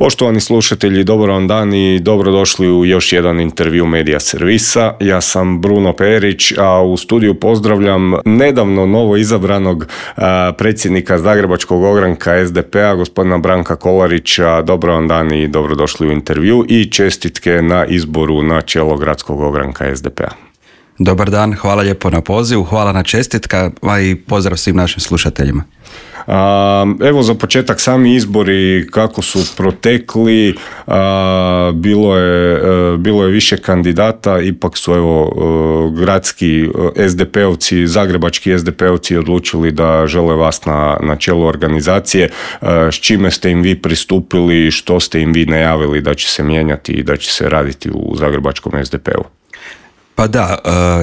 Poštovani slušatelji, dobar vam dan i dobrodošli u još jedan intervju Medija servisa. Ja sam Bruno Perić, a u studiju pozdravljam nedavno novo izabranog predsjednika Zagrebačkog ogranka SDP-a, gospodina Branka Kolarića. Dobar vam dan i dobrodošli u intervju i čestitke na izboru na čelo Gradskog ogranka SDP-a. Dobar dan, hvala lijepo na pozivu, hvala na čestitkama i pozdrav svim našim slušateljima. Evo za početak sami izbori kako su protekli, bilo je više kandidata, ipak su gradski SDP-ovci, zagrebački SDP-ovci odlučili da žele vas na čelu organizacije. S čime ste im vi pristupili, što ste im vi najavili da će se mijenjati i da će se raditi u zagrebačkom SDP-u? Pa da,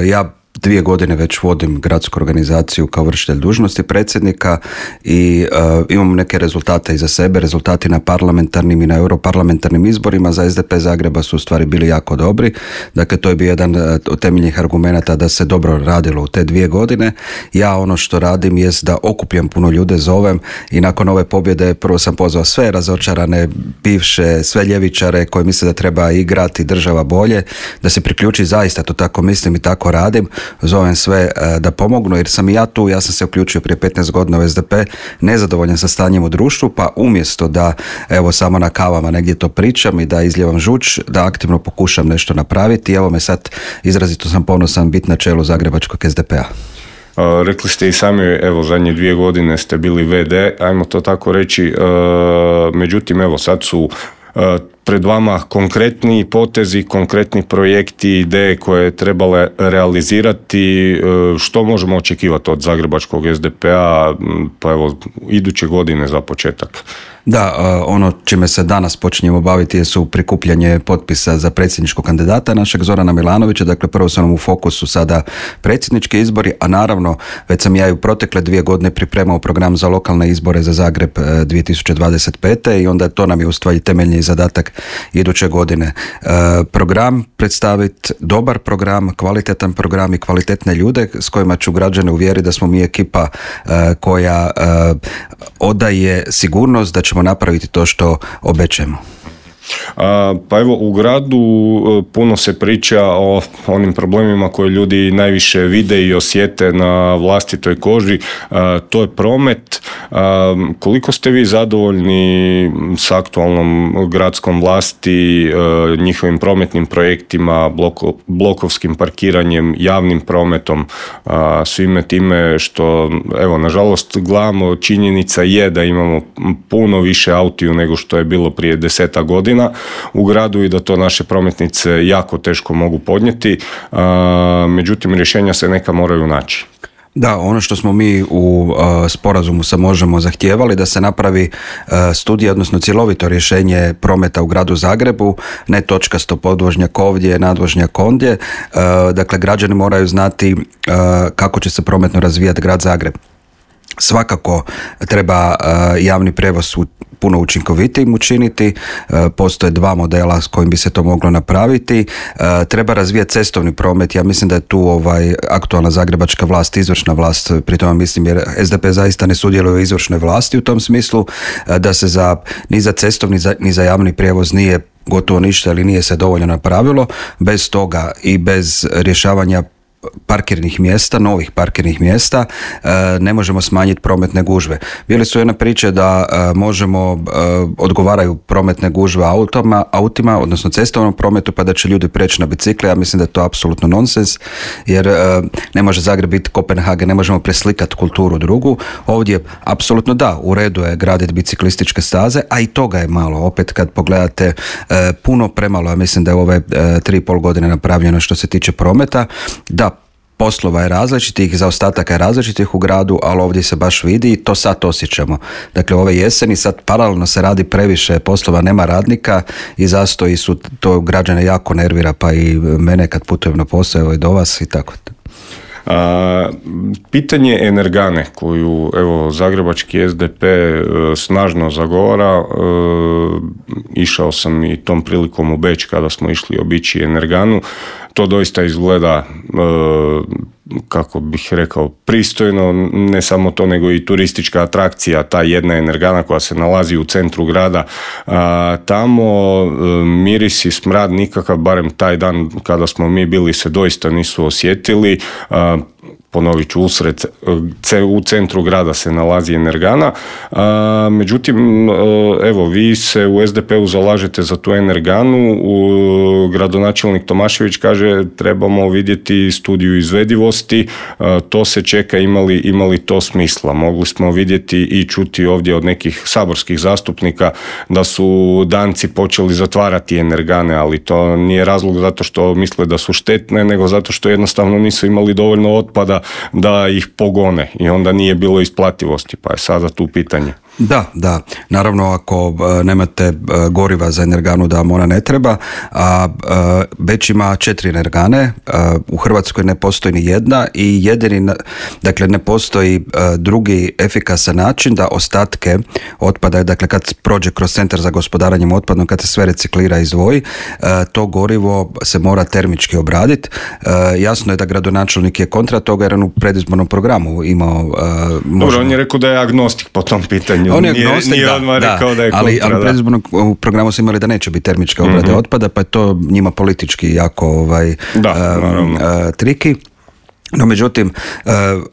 ja 2 godine već vodim gradsku organizaciju kao vršitelj dužnosti predsjednika i imam neke rezultate iza sebe. Rezultati na parlamentarnim i na europarlamentarnim izborima za SDP Zagreba su u stvari bili jako dobri. Dakle, to je bio jedan od temeljnih argumenata da se dobro radilo u te 2 godine. Ja ono što radim jest da okupljam puno ljude, zovem i nakon ove pobjede prvo sam pozvao sve razočarane, bivše, sve ljevičare koji misle da treba igrati država bolje, da se priključi, zaista to tako mislim i tako radim. Zovem sve da pomognu jer sam i ja tu, ja sam se uključio prije 15 godina u SDP, nezadovoljan sa stanjem u društvu, pa umjesto da evo samo na kavama negdje to pričam i da izljevam žuč, da aktivno pokušam nešto napraviti. Evo me sad, izrazito sam ponosan biti na čelu Zagrebačkog SDP-a. Rekli ste i sami, evo zadnje 2 godine ste bili VD, ajmo to tako reći, međutim evo sad su pred vama konkretni potezi, konkretni projekti, ideje koje je trebale realizirati. Što možemo očekivati od zagrebačkog SDP-a, pa evo, iduće godine za početak? Da, ono čime se danas počinjemo baviti su prikupljanje potpisa za predsjedničkog kandidata našeg Zorana Milanovića. Dakle, prvo su nam u fokusu sada predsjednički izbori, a naravno već sam ja i u protekle 2 godine pripremao program za lokalne izbore za Zagreb 2025. i onda to nam je u stvari temeljni zadatak iduće godine. Program predstaviti, dobar program, kvalitetan program i kvalitetne ljude s kojima ću građane uvjeriti da smo mi ekipa koja odaje sigurnost da ćemo napraviti to što obećamo. Pa evo, u gradu puno se priča o onim problemima koje ljudi najviše vide i osjete na vlastitoj koži, to je promet. Koliko ste vi zadovoljni s aktualnom gradskom vlasti, njihovim prometnim projektima, blokovskim parkiranjem, javnim prometom, svime time što, evo, nažalost gledamo, činjenica je da imamo puno više autiju nego što je bilo prije 10 godina u gradu i da to naše prometnice jako teško mogu podnijeti, međutim rješenja se neka moraju naći. Da, ono što smo mi u sporazumu sa Možemo zahtijevali da se napravi studija, odnosno cjelovito rješenje prometa u gradu Zagrebu, ne točkasto podvožnjak ovdje, nadvožnjak ondje. Dakle, građani moraju znati kako će se prometno razvijati grad Zagreb. Svakako treba javni prijevoz puno učinkovitijim učiniti, postoje 2 modela s kojim bi se to moglo napraviti. Treba razvijati cestovni promet, ja mislim da je tu aktualna zagrebačka vlast, izvršna vlast, pri tome mislim jer SDP zaista ne sudjeluje u izvršnoj vlasti u tom smislu, da se ni za cestovni ni za javni prijevoz nije gotovo ništa ili nije se dovoljno napravilo. Bez toga i bez rješavanja parkirnih mjesta, novih parkirnih mjesta, ne možemo smanjiti prometne gužve. Bili su jedne priče da odgovaraju prometne gužve autima, odnosno cestovnom prometu, pa da će ljudi preći na bicikle. Ja mislim da je to apsolutno nonsens, jer ne može Zagreb biti Kopenhagen, ne možemo preslikati kulturu drugu. Ovdje apsolutno da, u redu je graditi biciklističke staze, a i toga je malo. Opet kad pogledate, puno premalo, ja mislim da je ove 3,5 godine napravljeno što se tiče prometa. Da, poslova je različitih, zaostataka je različitih u gradu, ali ovdje se baš vidi i to sad osjećamo. Dakle, ove jeseni sad paralelno se radi previše poslova, nema radnika i zastoji su, to građane jako nervira, pa i mene kad putujem na posao i do vas i tako. Pitanje energane koju evo zagrebački SDP snažno zagovara, išao sam i tom prilikom u Beč kada smo išli obići energanu, to doista izgleda kako bih rekao, pristojno, ne samo to, nego i turistička atrakcija, ta jedna energana koja se nalazi u centru grada. Tamo miris i smrad nikakav, barem taj dan kada smo mi bili, se doista nisu osjetili. Ponovit ću, u centru grada se nalazi energana. Međutim, evo, vi se u SDP-u zalažete za tu energanu. Gradonačelnik Tomašević kaže trebamo vidjeti studiju izvedivosti, to se čeka, imali to smisla. Mogli smo vidjeti i čuti ovdje od nekih saborskih zastupnika da su Danci počeli zatvarati energane, ali to nije razlog zato što misle da su štetne, nego zato što jednostavno nisu imali dovoljno otpada da ih pogone i onda nije bilo isplativosti, pa je sada tu pitanje. Da. Naravno, ako nemate goriva za energanu, da vam ona ne treba, a Beč ima 4 energane, u Hrvatskoj ne postoji ni jedna i jedini, dakle ne postoji drugi efikasan način da ostatke otpada, dakle kad prođe kroz centar za gospodarenjem otpadom, kad se sve reciklira i izdvoji, to gorivo se mora termički obraditi. Jasno je da gradonačelnik je kontra toga jer on u predizbornom programu imao... Dobro, on je rekao da je agnostik po tom pitanju. On je agnostik, nije odmah rekao da je kontra. Ali u predizbornom programu su imali da neće biti termičke obrade otpada, pa je to njima politički jako triki. No, međutim,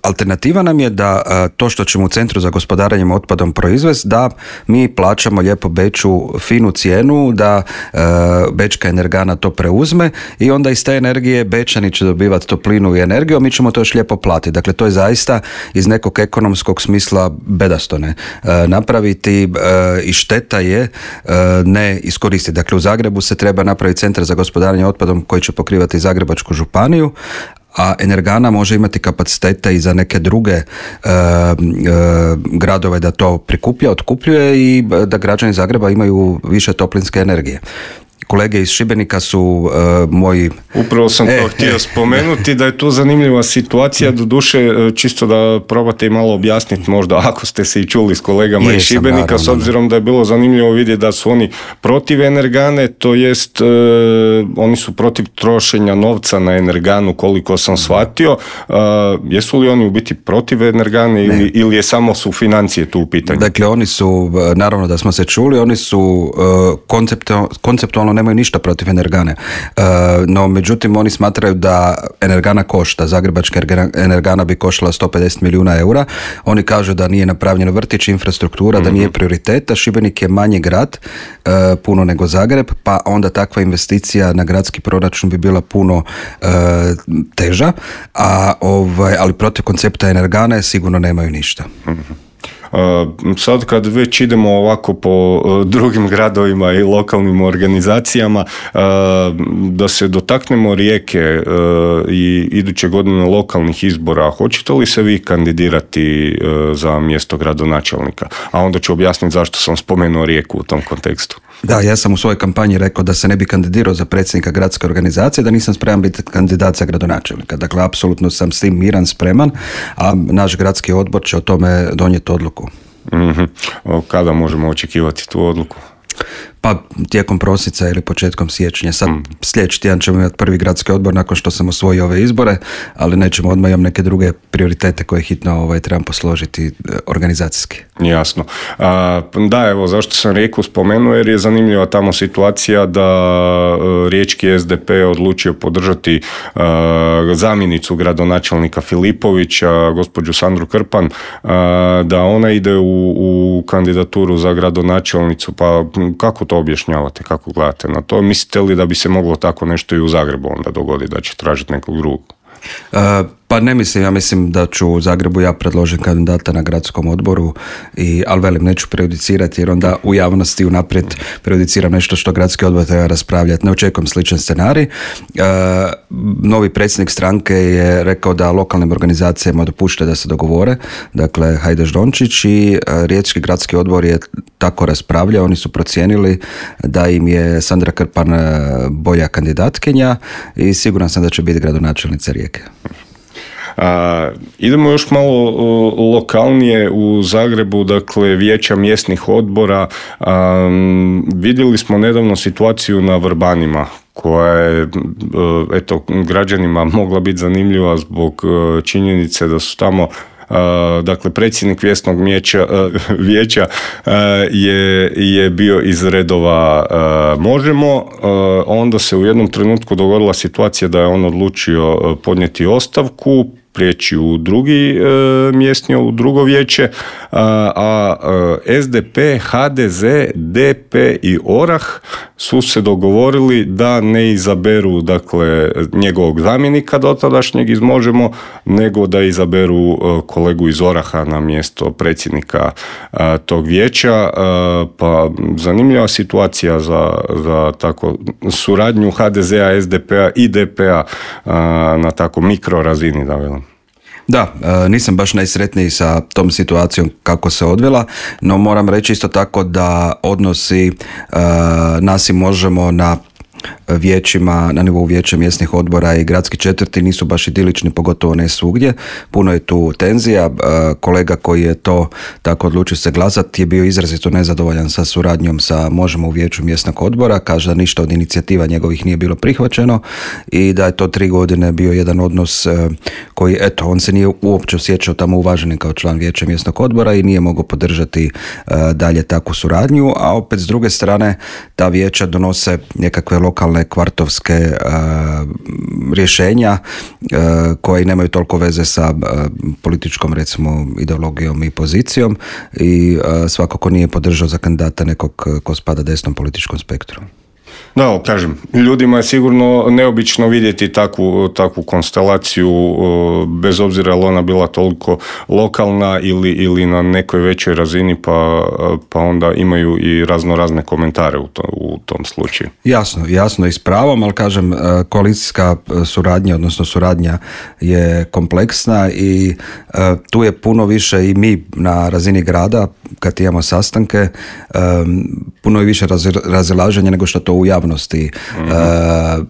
alternativa nam je da to što ćemo u Centru za gospodarenjem otpadom proizvesti, da mi plaćamo lijepo Beču finu cijenu, da Bečka energana to preuzme i onda iz te energije Bečani će dobivati toplinu i energiju, a mi ćemo to još lijepo platiti. Dakle, to je zaista iz nekog ekonomskog smisla bedasto ne napraviti i šteta je ne iskoristiti. Dakle, u Zagrebu se treba napraviti Centar za gospodarenje otpadom koji će pokrivati Zagrebačku županiju, a energana može imati kapacitete i za neke druge gradove da to prikuplja, otkupljuje i da građani Zagreba imaju više toplinske energije. Kolege iz Šibenika su moji... Upravo sam to htio spomenuti, da je tu zanimljiva situacija, doduše čisto da probate i malo objasniti možda, ako ste se i čuli s kolegama iz Šibenika, naravno, s obzirom da je bilo zanimljivo vidjeti da su oni protiv energane, to jest oni su protiv trošenja novca na energanu, koliko sam shvatio. Jesu li oni u biti protiv energane ili je samo su financije tu u pitanju? Dakle, oni su, naravno da smo se čuli, oni su konceptualno nemaju ništa protiv energane. No, međutim, oni smatraju da energana košta. Zagrebačka energana bi koštala 150 milijuna eura. Oni kažu da nije napravljeno vrtić, infrastruktura, da nije prioriteta. Šibenik je manji grad, puno nego Zagreb, pa onda takva investicija na gradski proračun bi bila puno teža, ali protiv koncepta energane sigurno nemaju ništa. Sad kad već idemo ovako po drugim gradovima i lokalnim organizacijama, da se dotaknemo Rijeke i iduće godine lokalnih izbora, hoćete li se vi kandidirati za mjesto gradonačelnika? A onda ću objasniti zašto sam spomenuo Rijeku u tom kontekstu. Da, ja sam u svojoj kampanji rekao da se ne bi kandidirao za predsjednika gradske organizacije, da nisam spreman biti kandidat za gradonačelnika. Dakle, apsolutno sam s tim miran, spreman, a naš gradski odbor će o tome donijeti odluku. Kada možemo očekivati tu odluku? Pa tijekom prosinca ili početkom siječnja. Sad sljedeći tjedan ćemo imati prvi gradski odbor nakon što sam osvojio ove izbore, ali nećemo, odmah imam neke druge prioritete koje hitno trebam posložiti organizacijski. Jasno. Da, evo, zašto sam Rijeku spomenuo, jer je zanimljiva tamo situacija da riječki SDP je odlučio podržati zamjenicu gradonačelnika Filipovića, gospođu Sandru Krpan, da ona ide u kandidaturu za gradonačelnicu, pa kako to objašnjavate, kako gledate na to? Mislite li da bi se moglo tako nešto i u Zagrebu onda dogoditi, da će tražiti nekog drugog? Pa ne mislim, ja mislim da ću u Zagrebu ja predložiti kandidata na gradskom odboru, ali velim, neću prejudicirati jer onda u javnosti unaprijed prejudiciram nešto što gradski odbor treba raspravljati. Ne očekujem sličan scenarij. Novi predsjednik stranke je rekao da lokalnim organizacijama dopušta da se dogovore, dakle Hajdaš Dončić, i riječki gradski odbor je tako raspravljao, oni su procijenili da im je Sandra Krpan bolja kandidatkinja i siguran sam da će biti gradonačelnica Rijeke. Idemo još malo lokalnije u Zagrebu, dakle vijeća mjesnih odbora. Vidjeli smo nedavno situaciju na Vrbanima koja je eto, građanima mogla biti zanimljiva zbog činjenice da su tamo dakle predsjednik Vjesnog vijeća je bio iz redova Možemo. Onda se u jednom trenutku dogodila situacija da je on odlučio podnijeti ostavku, prijeći u drugi mjesni, u drugo vijeće, a SDP, HDZ, DP i ORAH su se dogovorili da ne izaberu dakle njegovog zamjenika dotadašnjeg iz Možemo, nego da izaberu kolegu iz ORAH-a na mjesto predsjednika tog vijeća. Pa zanimljiva situacija za tako suradnju HDZ-a, SDP-a i DP-a na tako mikro razini, da velim. Da, nisam baš najsretniji sa tom situacijom kako se odvila, no moram reći isto tako da odnosi nas i Možemo na vijećima, na nivou vijeća mjesnih odbora i gradski četvrti nisu baš idilični, pogotovo ne svugdje. Puno je tu tenzija. Kolega koji je to tako odlučio se glasati je bio izrazito nezadovoljan sa suradnjom sa Možemo u vijeću mjesnog odbora. Kaže da ništa od inicijativa njegovih nije bilo prihvaćeno i da je to 3 godine bio jedan odnos koji, eto, on se nije uopće osjećao tamo uvaženim kao član vijeća mjesnog odbora i nije mogao podržati dalje takvu suradnju, a opet s druge strane ta vijeća donose nekakve lokalne kvartovske rješenja koje nemaju toliko veze sa političkom, recimo, ideologijom i pozicijom i svakako nije podržao za kandidata nekog ko spada desnom političkom spektru. Da, kažem, ljudima je sigurno neobično vidjeti takvu konstelaciju, bez obzira je li ona bila toliko lokalna ili na nekoj većoj razini, pa onda imaju i razne komentare u tom slučaju. Jasno i s pravom, ali kažem, koalicijska suradnja, odnosno suradnja je kompleksna i tu je puno više i mi na razini grada, kad imamo sastanke, puno je više razilaženja nego što to u javnosti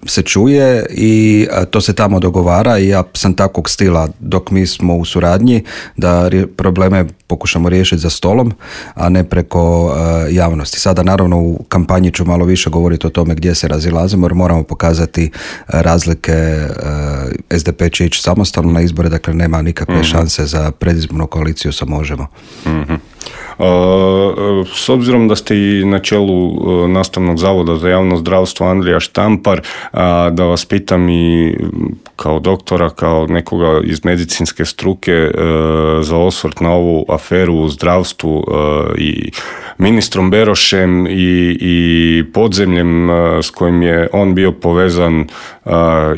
se čuje i to se tamo dogovara i ja sam takvog stila dok mi smo u suradnji da probleme pokušamo riješiti za stolom, a ne preko javnosti. Sada naravno u kampanji ću malo više govoriti o tome gdje se razilazimo jer moramo pokazati razlike. SDP će ići samostalno na izbore, dakle nema nikakve šanse za predizbornu koaliciju sa Možemo. S obzirom da ste i na čelu Nastavnog zavoda za javno zdravstvo Andrija Štampar, da vas pitam i kao doktora, kao nekoga iz medicinske struke za osvrt na ovu aferu u zdravstvu i ministrom Berošem i podzemljem s kojim je on bio povezan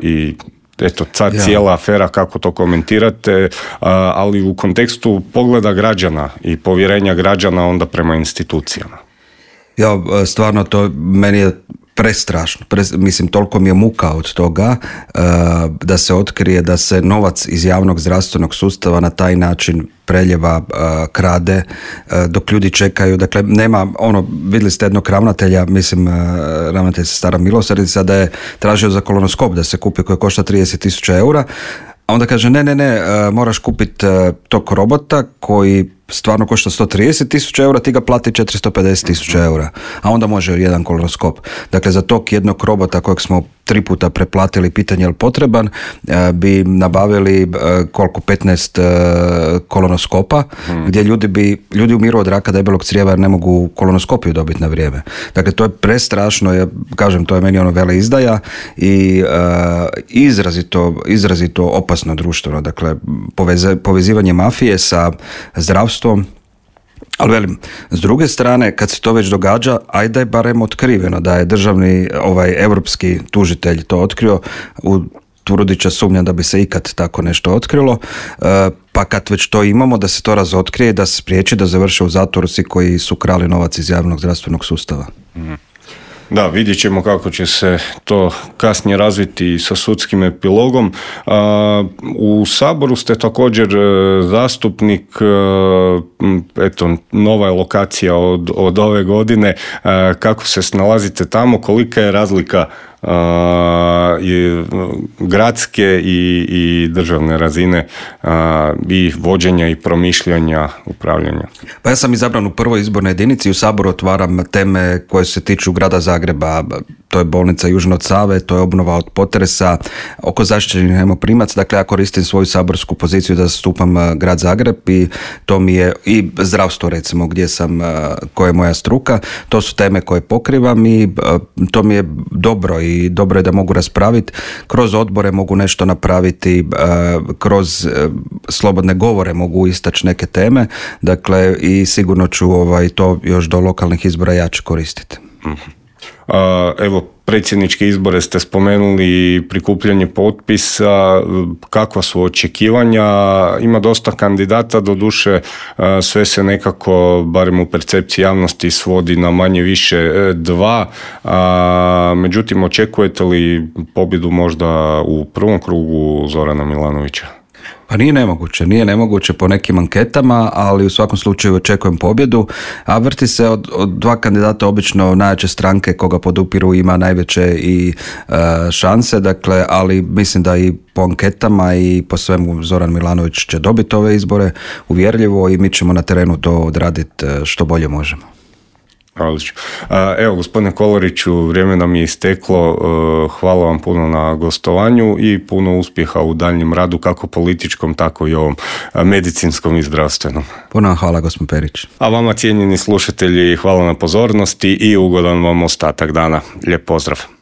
i eto, cijela afera, kako to komentirate, ali u kontekstu pogleda građana i povjerenja građana onda prema institucijama. Ja, stvarno to meni je prestrašno. Mislim, toliko mi je muka od toga da se otkrije da se novac iz javnog zdravstvenog sustava na taj način preljeva, krade, dok ljudi čekaju. Dakle, nema, vidjeli ste jednog ravnatelja, mislim, ravnatelj se Stara Milosrdnica, da je tražio za kolonoskop da se kupi koji košta 30.000 eura, a onda kaže ne, moraš kupiti tog robota koji stvarno košta 130.000 eura, ti ga plati 450.000 eura, a onda može jedan kolonoskop. Dakle, za tog jednog robota kojeg smo 3 puta preplatili, pitanje je li potreban, bi nabavili koliko, 15 kolonoskopa, gdje ljudi umiru od raka debelog crijeva jer ne mogu kolonoskopiju dobiti na vrijeme. Dakle, to je prestrašno, ja kažem, to je meni veleizdaja i izrazito opasno društveno. Dakle, povezivanje mafije sa zdravstvom. Ali velim, s druge strane, kad se to već događa, ajde je barem otkriveno da je državni, europski tužitelj to otkrio, u Turudića sumnja da bi se ikad tako nešto otkrilo, pa kad već to imamo, da se to razotkrije, da se spriječi da završe u zatvoru svi koji su krali novac iz javnog zdravstvenog sustava. Da, vidjet ćemo kako će se to kasnije razviti sa sudskim epilogom. U Saboru ste također zastupnik, eto, nova je lokacija od ove godine. Kako se snalazite tamo, kolika je razlika gradske i državne razine i vođenja i promišljanja, upravljanja? Pa ja sam izabran u prvoj izbornoj jedinici, u Saboru otvaram teme koje se tiču grada Zagreba. to je bolnica južno od Save, to je obnova od potresa, oko zaštićenih najmoprimaca. Dakle, ja koristim svoju saborsku poziciju da zastupam grad Zagreb i to mi je i zdravstvo recimo gdje sam, koja je moja struka, to su teme koje pokrivam i to mi je dobro i dobro je da mogu raspraviti. Kroz odbore mogu nešto napraviti, kroz slobodne govore mogu istaći neke teme, dakle i sigurno ću to još do lokalnih izbora jače koristiti. Evo, predsjedničke izbore ste spomenuli, prikupljanje potpisa, kakva su očekivanja, ima dosta kandidata, doduše sve se nekako, barem u percepciji javnosti, svodi na manje više dva, međutim očekujete li pobjedu možda u prvom krugu Zorana Milanovića? Pa nije nemoguće po nekim anketama, ali u svakom slučaju očekujem pobjedu, a vrti se od dva kandidata obično najjače stranke koga podupiru ima najveće i šanse, dakle, ali mislim da i po anketama i po svemu Zoran Milanović će dobiti ove izbore uvjerljivo i mi ćemo na terenu to odraditi što bolje možemo. Evo, gospodine Kolariću, vrijeme nam je isteklo. Hvala vam puno na gostovanju i puno uspjeha u daljnjem radu, kako političkom, tako i ovom medicinskom i zdravstvenom. Puno hvala, gospodin Perić. A vama, cijenjeni slušatelji, hvala na pozornosti i ugodan vam ostatak dana. Lijep pozdrav.